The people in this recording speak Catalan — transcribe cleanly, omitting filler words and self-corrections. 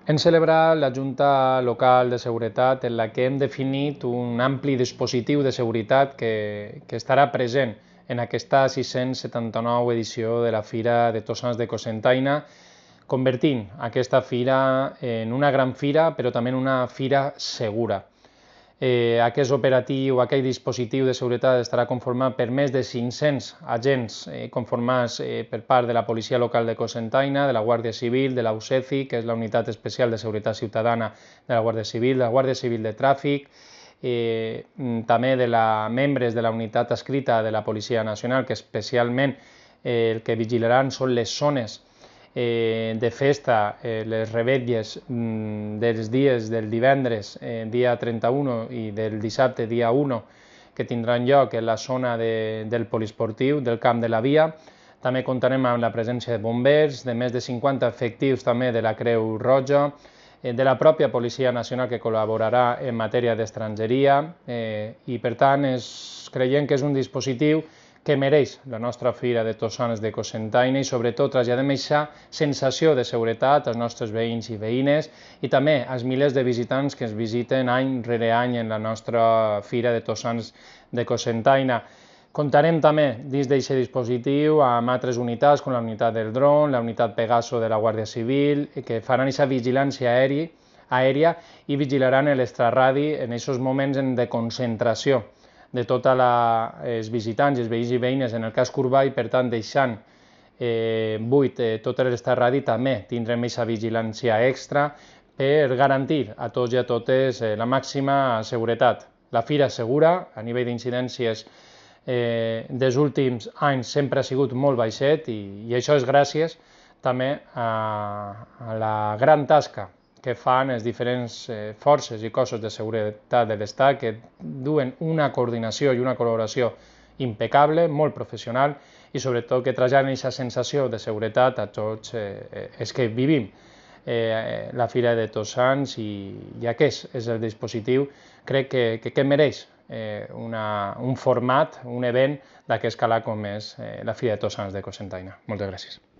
Hem celebrat la Junta Local de Seguretat en la que hem definit un ampli dispositiu de seguretat que estarà present en aquesta 679 edició de la Fira de Tots Sants de Cocentaina, convertint aquesta fira en una gran fira, però també en una fira segura. Aquest operatiu, aquest dispositiu de seguretat estarà conformat per més de 500 agents conformats per part de la Policia Local de Cocentaina, de la Guàrdia Civil, de la UCECI, que és la Unitat Especial de Seguretat Ciutadana de la Guàrdia Civil, de la Guàrdia Civil de Tràfic, també de membres de la unitat adscrita de la Policia Nacional, que especialment el que vigilaran són les zones de festa, les revetlles dels dies del divendres, dia 31 i del dissabte, dia 1, que tindran lloc en la zona del poliesportiu, del Camp de la Via. També comptarem amb la presència de bombers, de més de 50 efectius també de la Creu Roja, de la pròpia Policia Nacional que col·laborarà en matèria d'estrangeria i per tant creiem que és un dispositiu que mereix la nostra Fira de Tots Sants de Cocentaina i sobretot traslladem aquesta sensació de seguretat als nostres veïns i veïnes i també als milers de visitants que ens visiten any rere any en la nostra Fira de Tots Sants de Cocentaina. Comptarem també dins d'aquest dispositiu amb altres unitats com la unitat del dron, la unitat Pegaso de la Guàrdia Civil, que faran aquesta vigilància aèria i vigilaran l'extraradi en aquests moments de concentració de tots els visitants i els veïns i veïnes en el casc urbà i per tant deixant buit tot l'extraradi també tindrem aquesta vigilància extra per garantir a tots i a totes la màxima seguretat. La fira segura, a nivell d'incidències dels últims anys sempre ha sigut molt baixet i això és gràcies també a la gran tasca que fan les diferents forces i cossos de seguretat de l'Estat que duen una coordinació i una col·laboració impecable, molt professional i sobretot que traslladen aquesta sensació de seguretat a tots els que vivim la Fira de Tots Sants i aquest és el dispositiu, crec que mereix un format, un event d'aquest calat com és la Fira de Tots Sants de Cocentaina. Moltes gràcies.